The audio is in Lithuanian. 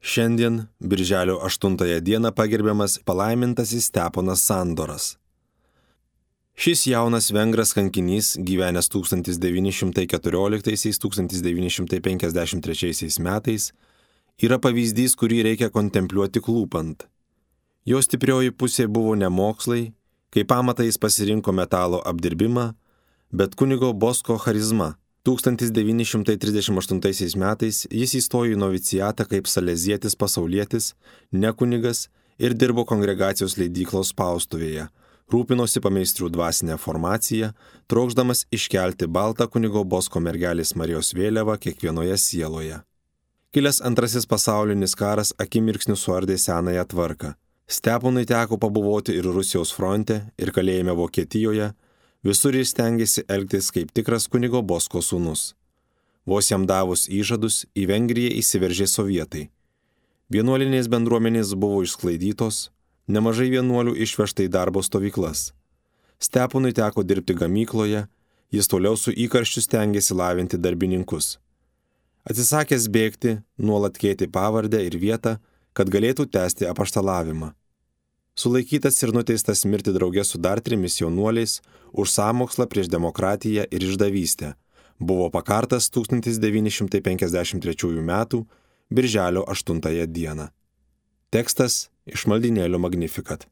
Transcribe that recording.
Šiandien, birželio 8 dieną, pagerbiamas palaimintasis Steponas Sandoras. Šis jaunas vengras kankinys, gyvenęs 1914–1953 metais, yra pavyzdys, kurį reikia kontempliuoti klūpant. Jo stiprioji pusė buvo ne mokslai, kaip pamatą jis pasirinko metalo apdirbimą, bet kunigo Bosko charizma. 1938 metais jis įstojo į novicijatą kaip salezietis pasaulietis, ne kunigas, ir dirbo kongregacijos leidyklos spaustuvėje, rūpinosi pameistrių dvasinę formaciją, trokšdamas iškelti baltą kunigo Bosko mergelės Marijos vėliavą kiekvienoje sieloje. Kilęs antrasis pasaulinis karas akimirksniu suardė senąją tvarką. Steponui teko pabuvoti ir Rusijos fronte, ir kalėjime Vokietijoje. Visur jis stengėsi elgtis kaip tikras kunigo Bosko sūnus. Vos jam davus įžadus, į Vengriją įsiveržė sovietai. Vienuolinės bendruomenės buvo išsklaidytos, nemažai vienuolių išvežta į darbo stovyklas. Steponui teko dirbti gamykloje, jis toliau su įkarščiu stengėsi lavinti darbininkus. Atsisakęs bėgti, nuolat keitė pavardę ir vietą, kad galėtų tęsti apaštalavimą. Sulaikytas ir nuteistas mirti drauge su dar 3 jaunuoliais už sąmokslą prieš demokratiją ir išdavystę, buvo pakartas 1953 metų birželio 8 dieną. Tekstas iš maldynėlio Magnificat.